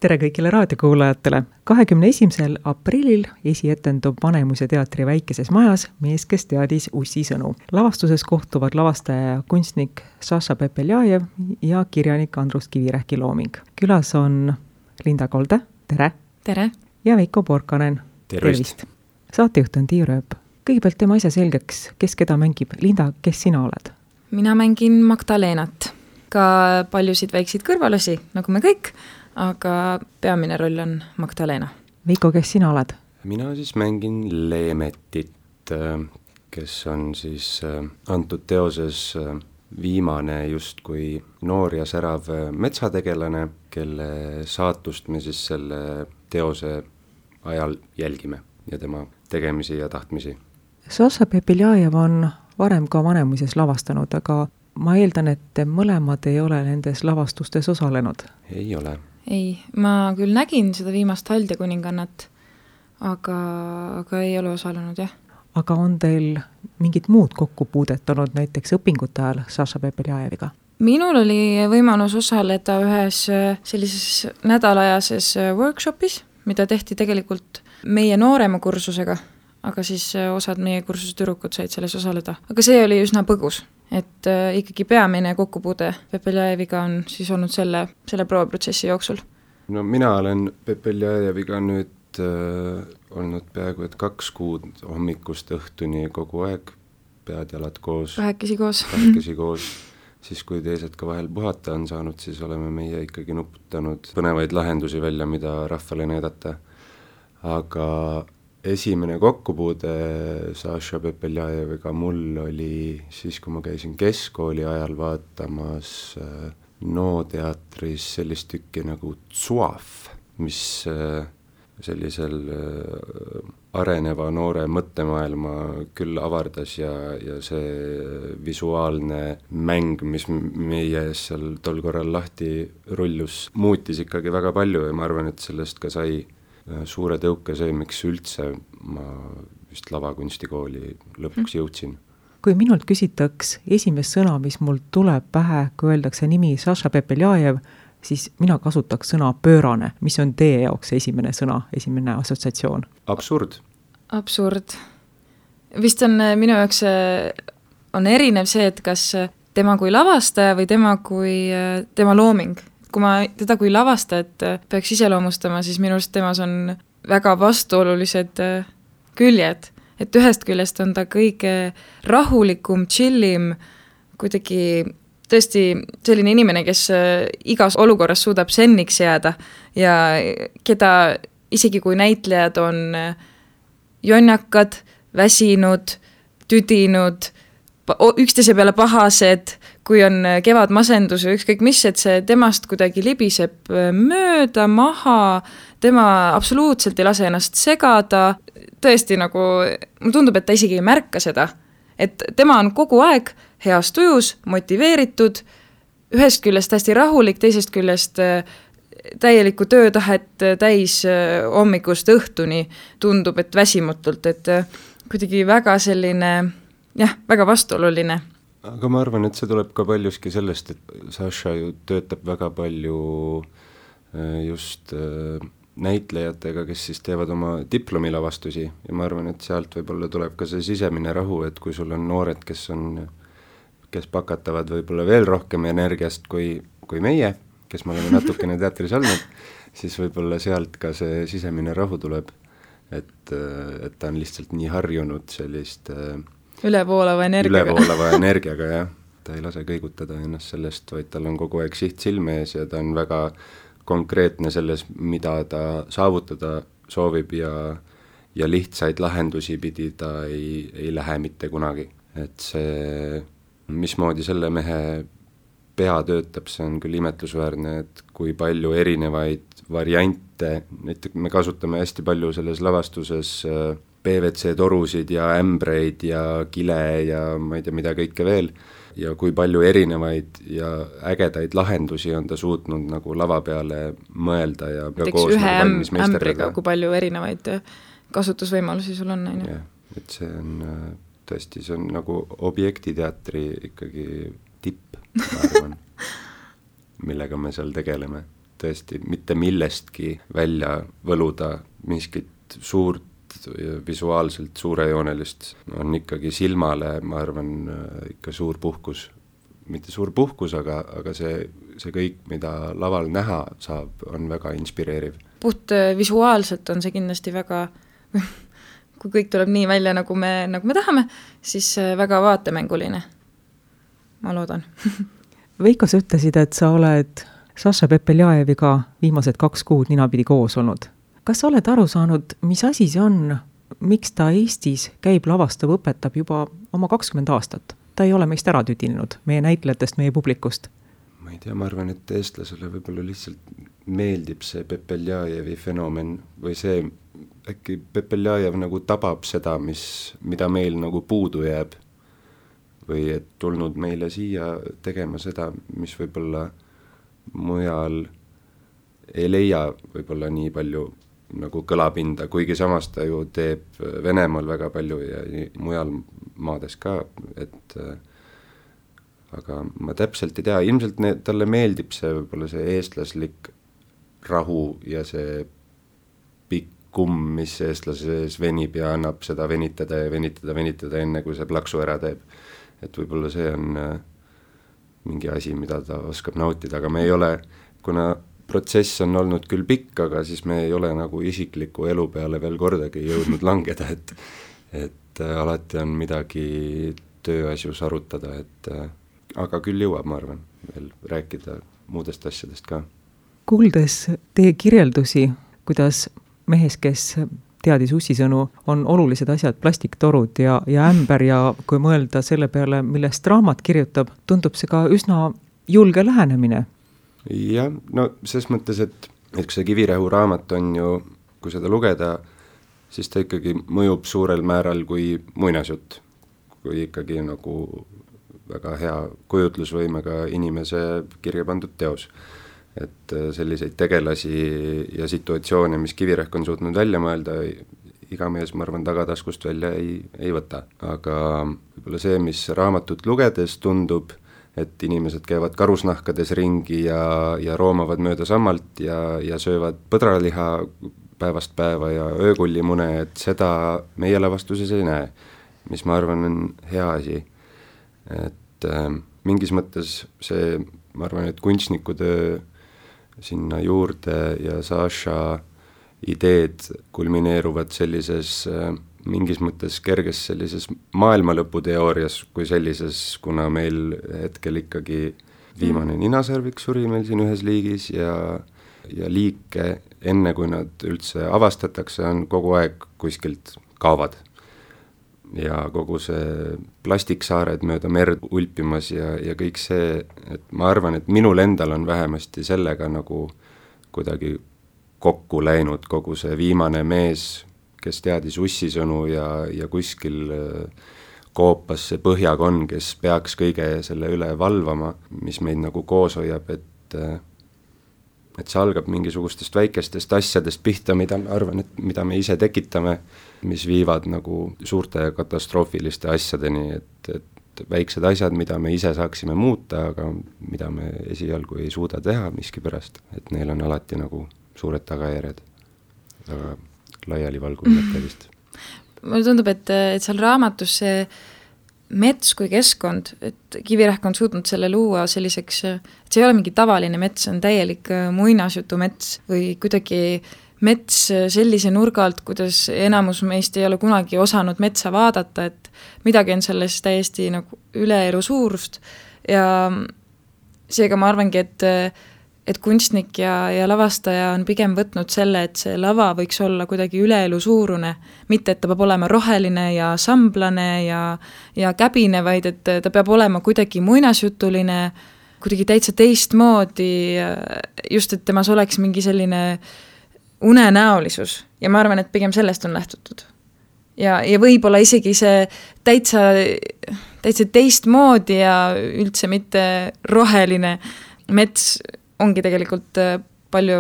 Tere kõigile raadiokuulajatele! 21. aprillil esietendub Vanemuise teatri väikeses majas Mees, kes teadis Ussi sõnu. Lavastuses kohtuvad lavastaja ja kunstnik Saša Pepeljajev ja kirjanik Andrus Kivirähki looming. Külas on Linda Kolde, tere! Tere! Ja Veiko Porkanen, tervist! Saatejuht on Tiiu Rööp. Kõigepealt teeme asja selgeks, kes keda mängib. Linda, kes sina oled? Mina mängin Magdalenat. Ka paljusid väikseid kõrvalasi, nagu me kõik, aga peamine roll on Magdalena. Veiko, kes sina oled? Mina siis mängin Leemetit, kes on siis antud teoses viimane justkui noor ja särav metsategelane, kelle saatust me siis selle teose ajal jälgime ja tema tegemisi ja tahtmisi. Saša Pepeljajev on varem ka Vanemuises lavastanud, aga ma eeldan, et mõlemad ei ole nendes lavastustes osalenud. Ei ole. Ei, ma küll nägin seda viimast Haldja kuningannat, aga ei ole osalenud, jah. Aga on teil mingit muud kokkupuudet olnud näiteks õpingute ajal Saša Pepeljajeviga? Minul oli võimalus osaleda ühes sellises nädalajases workshopis, mida tehti tegelikult meie noorema kursusega, aga siis osad meie kursuse tüdrukud said selles osaleda. Aga see oli üsna põgus, et ikkagi peamine kokkupuude Pepeljajeviga on siis olnud selle prooviprotsessi jooksul. No mina olen Pepeljajeviga nüüd olnud peaaegu 2 kuud hommikust õhtuni kogu aeg, pead-jalad koos. Kahekesi koos. Siis kui teised ka vahel puhata on saanud, siis oleme meie ikkagi nuputanud põnevaid lahendusi välja, mida rahvale näidata. Aga esimene kokkupuude Saša Pepeljajeviga mul oli siis, kui ma käisin keskkooli ajal vaatamas NO teatris sellist tükki nagu Tsuaf, mis sellisel areneva noore mõttemaailma küll avardas ja see visuaalne mäng, mis meie seal tol korral lahti rullus, muutis ikkagi väga palju ja ma arvan, et sellest ka sai suure tõuke see, miks üldse ma vist lavakunstikooli lõpuks jõudsin. Kui minult küsitaks esimest sõna, mis mul tuleb pähe, kui öeldakse nimi Saša Pepeljajev, siis mina kasutaks sõna pöörane. Mis on teie jaoks esimene sõna, esimene assotsiatsioon? Absurd. Vist on minu jaoks on erinev see, et kas tema kui lavastaja või tema looming. Kui ma teda kui lavastajat peaks iseloomustama, siis minu arust temas on väga vastuolulised küljed. Et ühest küljest on ta kõige rahulikum, chillim, kuidagi tõesti selline inimene, kes igas olukorras suudab senniks jääda ja keda isegi kui näitlejad on jonnakad, väsinud, tüdinud, üksteise peale pahased, kui on kevadmasendus või ükskõik mis, et see temast kuidagi libiseb mööda, maha, tema absoluutselt ei lase ennast segada, tõesti nagu, mulle tundub, et ta isegi ei märka seda, et tema on kogu aeg heas tujus, motiveeritud, ühest küljest hästi rahulik, teisest küljest täielikku töötahet täis hommikust õhtuni tundub, et väsimutult, et kuidagi väga selline, väga vastuoluline. Aga ma arvan, et see tuleb ka paljuski sellest, et Saša ju töötab väga palju just näitlejatega, kes siis teevad oma diplomilavastusi ja ma arvan, et sealt võib-olla tuleb ka see sisemine rahu, et kui sul on noored, kes pakatavad võib-olla veel rohkem energiast kui meie, kes me oleme natukene teatris olnud, siis võib-olla sealt ka see sisemine rahu tuleb, et ta on lihtsalt nii harjunud sellist ülevoolava energiaga, jah. Ta ei lase kõigutada ennast sellest, vaid tal on kogu aeg siht silme ees ja ta on väga konkreetne selles, mida ta saavutada soovib ja lihtsaid lahendusi pidi ta ei lähe mitte kunagi. Et see, mismoodi selle mehe pea töötab, see on küll imetlusväärne, et kui palju erinevaid variante, näiteks me kasutame hästi palju selles lavastuses PVC torusid ja ämbreid ja kile ja ma ei tea mida kõike veel ja kui palju erinevaid ja ägedaid lahendusi on ta suutnud nagu lava peale mõelda ja koos ühe ämbriga, kui palju erinevaid kasutusvõimalusi sul on. Ja, et see on tõesti, see on nagu objektiteatri ikkagi tipp, ma arvan, millega me seal tegeleme. tõesti mitte millestki välja võluda miskit suurt, visuaalselt suurejoonelist, on ikkagi silmale, ma arvan, ikka suur puhkus. Mitte suur puhkus, aga see kõik, mida laval näha saab, on väga inspireeriv. Puht visuaalselt on see kindlasti väga, kui kõik tuleb nii välja, nagu me tahame, siis väga vaatemänguline. Ma loodan. Veiko, sa ütlesid, et sa oled Saša Pepeljajeviga viimased 2 kuud ninapidi koos olnud. Kas sa oled aru saanud, mis asi see on, miks ta Eestis käib, lavastab, õpetab juba oma 20 aastat? Ta ei ole meist ära tüdinenud, meie näitlejatest, meie publikust. Ma ei tea, ma arvan, et eestlasele võib-olla lihtsalt meeldib see Pepeljajevi fenomen või see, äkki Pepeljajev nagu tabab seda, mida meil nagu puudu jääb või et tulnud meile siia tegema seda, mis võib-olla mujal ei leia võib-olla nii palju nagu kõlapinda, kuigi samas ta ju teeb Venemaal väga palju ja mujal maades ka, et aga ma täpselt ei tea, ilmselt talle meeldib see võib-olla see eestlaslik rahu ja see pikk kumm, mis eestlase sees venib ja annab seda venitada enne, kui see plaksu ära teeb. Et võib-olla see on mingi asi, mida ta oskab nautida, aga me ei ole, kuna protsess on olnud küll pikk, aga siis me ei ole nagu isikliku elu peale veel kordagi jõudnud langeda, et alati on midagi tööasjus arutada, aga küll jõuab, ma arvan, veel rääkida muudest asjadest ka. Kuuldes teie kirjeldusi, kuidas mehes, kes teadis ussisõnu, on olulised asjad plastiktorud ja ämber ja kui mõelda selle peale, millest raamat kirjutab, tundub see ka üsna julge lähenemine. Jah, no ses mõttes, et kui see Kivirähu raamat on ju, kui seda lugeda, siis ta ikkagi mõjub suurel määral kui muinasjutt, kui ikkagi nagu väga hea kujutlusvõimega inimese kirja pandud teos. Et selliseid tegelasi ja situatsioone, mis Kivirähk on suutnud välja mõelda, iga mees, ma arvan, tagataskust välja ei võta. Aga võib-olla see, mis raamatut lugedes tundub, et inimesed käivad karusnahkades ringi ja roomavad mööda sammalt ja söövad põdraliha päevast päeva ja öökullimune, et seda meie lavastuses ei näe, mis ma arvan on hea asi. Et mingis mõttes see, ma arvan, et kunstnikutöö sinna juurde ja Saša ideed kulmineeruvad sellises mingis mõttes kerges sellises maailmalõputeoorias kui sellises, kuna meil hetkel ikkagi viimane ninasarvik suri meil siin ühes liigis ja liike, enne kui nad üldse avastatakse, on kogu aeg kuskilt kaovad. Ja kogu see plastiksaared mööda merd ulpimas ja kõik see, et ma arvan, et minul endal on vähemasti sellega nagu kuidagi kokku läinud kogu see viimane mees, kes teadis ussisõnu ja kuskil koopas see põhjakonn, kes peaks kõige selle üle valvama, mis meid nagu koos hoiab, et see algab mingisugustest väikestest asjadest pihta, mida ma arvan, et mida me ise tekitame, mis viivad nagu suurte katastroofiliste asjadeni, et väiksed asjad, mida me ise saaksime muuta, aga mida me esialgu ei suuda teha miskipärast, et neil on alati nagu suured tagajärjed, aga laialivalguv mõte vist. Mulle tundub, et seal raamatus see mets kui keskkond, et Kivirähk on suutnud selle luua selliseks, et see ei ole mingi tavaline mets, see on täielik muinasjutu mets või kuidagi mets sellise nurga alt, kuidas enamus meist ei ole kunagi osanud metsa vaadata, et midagi on selles täiesti nagu üleelu suurust ja seega ma arvangi, et kunstnik ja lavastaja on pigem võtnud selle, et see lava võiks olla kuidagi üleelu suurune, mitte et ta peab olema roheline ja samblane ja käbine, vaid et ta peab olema kuidagi muinasjutuline, kuidagi täitsa teistmoodi, just et temas oleks mingi selline unenäolisus ja ma arvan, et pigem sellest on lähtutud. Ja võib-olla isegi see täitsa teistmoodi ja üldse mitte roheline mets ongi tegelikult palju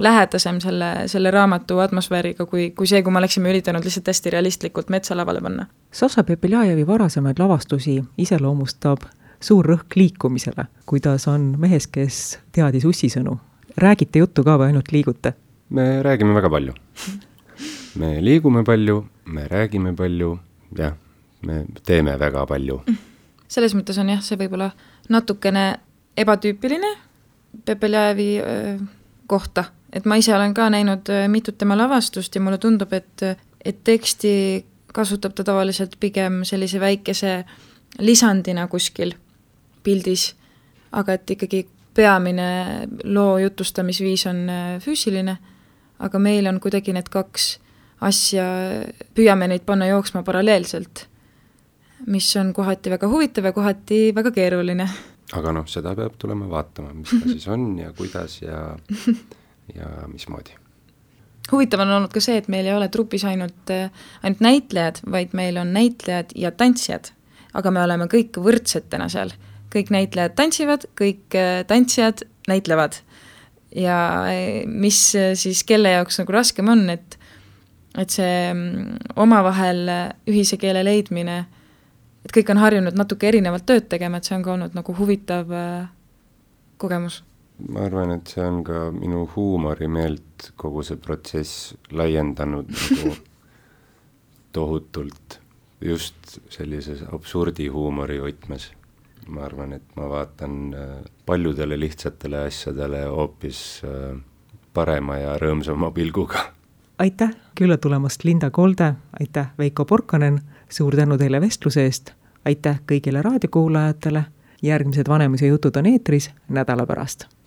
lähedasem selle raamatu atmosfääriga kui see, kui me oleksime üritanud lihtsalt hästi realistlikult metsa lavale panna. Saša Pepeljajevi varasemaid lavastusi iseloomustab suur rõhk liikumisele, kuidas on mehes, kes teadis ussisõnu. räägite juttu ka või ainult liigute? Me räägime väga palju. Me liigume palju, me räägime palju, jah, me teeme väga palju. Selles mõttes on jah, see võib-olla natukene ebatüüpiline Pepeljajevi kohta, et ma ise olen ka näinud mitut tema lavastust ja mulle tundub, et teksti kasutab ta tavaliselt pigem sellise väikese lisandina kuskil pildis, aga et ikkagi peamine loo jutustamisviis on füüsiline, aga meil on kuidagi need kaks asja, püüame neid panna jooksma paralleelselt, mis on kohati väga huvitav ja kohati väga keeruline. Aga seda peab tulema vaatama, mis ta siis on ja kuidas ja mismoodi. Huvitav on olnud ka see, et meil ei ole trupis ainult näitlejad, vaid meil on näitlejad ja tantsijad, aga me oleme kõik võrdsetena seal. Kõik näitlejad tantsivad, kõik tantsijad näitlevad. Ja mis siis kelle jaoks nagu raskem on, et see omavahel ühise keele leidmine, et kõik on harjunud natuke erinevalt tööd tegema, et see on ka olnud nagu huvitav kogemus. Ma arvan, et see on ka minu huumorimeelt kogu see protsess laiendanud nagu tohutult just sellises absurdi huumori võtmes. Ma arvan, et ma vaatan paljudele lihtsatele asjadele hoopis parema ja rõõmsama pilguga. Aitäh külla tulemast Linda Kolde, aitäh Veiko Porkanen, suur tänu teile vestluse eest, aitäh kõigile raadiokuulajatele, järgmised Vanemuise jutud on eetris nädala pärast.